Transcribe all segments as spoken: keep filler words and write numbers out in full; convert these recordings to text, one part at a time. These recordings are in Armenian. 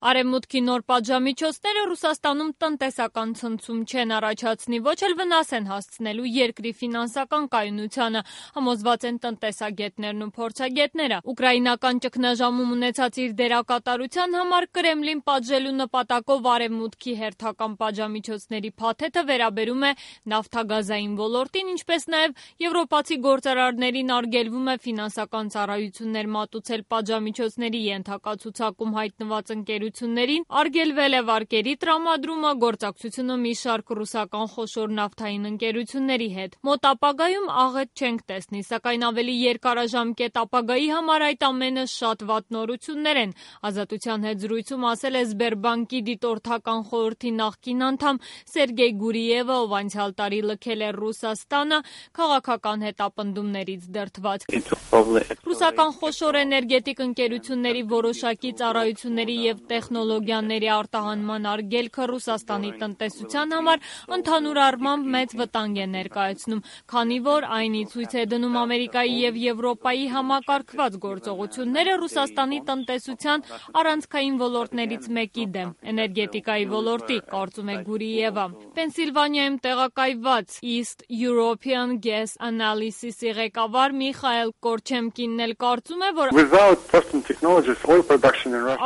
Արևմուտքի նոր պատժամիջոցները Ռուսաստանում տնտեսական ցնցում չեն առաջացնի, ոչ էլ վնաս են հասցնելու երկրի ֆինանսական կայունությանը, համոզված են տնտեսագետներն ու փորձագետները։ Ուկրաինական ճգնաժամում ունեցած իր դերակատարության համար Կրեմլին պատժելու նպատակով Արևմուտքի հերթական պատժամիջոցների փաթեթը վերաբերում է նավթագազային ոլորտին, ինչպես նաև եվրոպացի գործարարներին արգելվում է ֆինանսական ծառայություններ մատուցել պատժամիջոցների ենթակա ցուցակում հայտնված ընկերություններին, արգելվել է վարկերի տրամադրումը, գործակցությունը մի շարք ռուսական խոշոր նավթային ընկերությունների հետ։ Մոտ ապագայում աղետ չենք տեսնի, սակայն ավելի երկարաժամկետ ապագայի համար այդ ամենը շատ վատ նորություններ են, Ազատության հետ զրույցում ասել է Սբերբանկի դիտորդական խորհրդի նախկին անդամ Սերգեյ Գուրիևը, ով անցյալ տարի լքել է Ռուսաստանը քաղաքական հետապնդումներից դրդված։ Ռուսական խոշոր էներգետիկ ընկերությունների որոշակի ծառայությունների և տեխնոլոգիաների արտահանման արգելքը Ռուսաստանի տնտեսության համար ընդհանուր առմամբ մեծ վտանգ է ներկայացնում, քանի որ այն ի ցույց է դնում Ամերիկայի և Եվրոպայի համակարգված գործողությունները Ռուսաստանի տնտեսության առանցքային ոլորտներից մեկի դեմ, էներգետիկայի ոլորտի, կարծում է Գուրիևը։ Պենսիլվանիայում տեղակայված East European Gas Analysis-ի ղեկավար Միխայել Կորչեմկինն էլ կարծում է, որ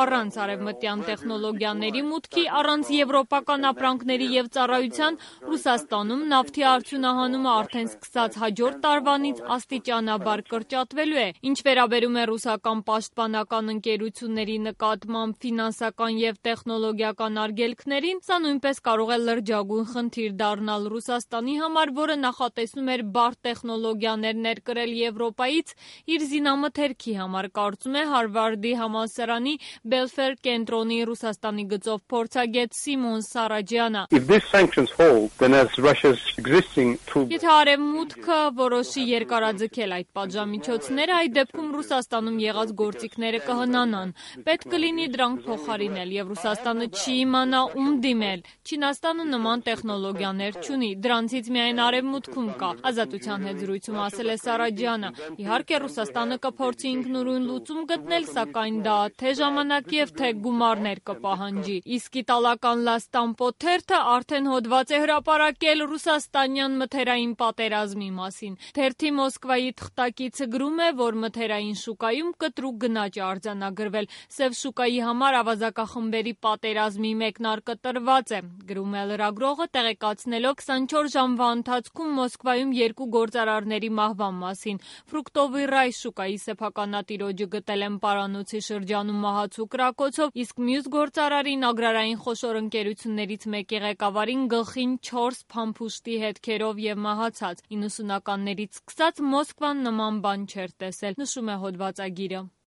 առանց արևմտյան տեխնոլոգիաների մուտքի, առանց եվրոպական ապրանքների և ծառայության Ռուսաստանում նավթի արդյունահանումը արդեն սկսած հաջորդ տարվանից աստիճանաբար կրճատվելու է։ Ինչ վերաբերում է ռուսական պաշտպանական ընկերությունների նկատմամբ ֆինանսական և տեխնոլոգիական արգելքներին, սա նույնպես կարող է լրջագույն խնդիր դառնալ Ռուսաստանի համար, որը նախատեսում էր բարդ տեխնոլոգիաներ ներկրել Եվրոպայից իր զինամթերքի համար, կարծում է Հարվարդի համալսարանի Բելֆեր կենտրոնի Ռուսաստանի գծով փորձագետ Սիմոն Սարաջյանը։ Եթե Արևմուտքը որոշի երկարաձգել այդ պատժամիջոցները, այդ դեպքում Ռուսաստանում եղած գործիքները կհնանան։ Պետք կլինի դրանք փոխարինել, և Ռուսաստանը չի իմանա ում դիմել։ Չինաստանը նման տեխնոլոգիաներ չունի, դրանցից միայն Արևմուտքում կա, Ազատության հետ զրույցում ասել է Սարաջյանը։ Իհարկե, Ռուսաստանը կփորձի ինքնուրույն լուծում գտնել, սակայն դա թե ժամանակ և թե գումարներ կպահանջի։ Իսկ իտալական La Stampo թերթը արդեն հոդված է հրապարակել ռուսաստանյան մթերային պատերազմի մասին։ Թերթի Մոսկվայի թղթակիցը գրում է, որ մթերային շուկայում կտրուկ գնաճ է արձանագրվել, սև շուկայի համար ավազակախմբերի պատերազմի մեկնարկը տրված է, գրում է լրագրողը, տեղեկացնելով քսանչորս ժամվա ընթացքում Մոսկվայում երկու գործարարների մահվան մասին։ Ֆրուկտովի ռայ շուկայի սեփականատիրոջը գտել են պարանոցի շրջանում մահացու կրակոցով, իսկ մյուս գործարարին ագրարային խոշոր ընկերություններից մեկի ղեկավարին գլխին չորս փամփուշտի հետքերով և մահացած։ իննսունականներից սկսած Մոսկվան նման բան չէր տեսել, նշում է հոդվածագիրը։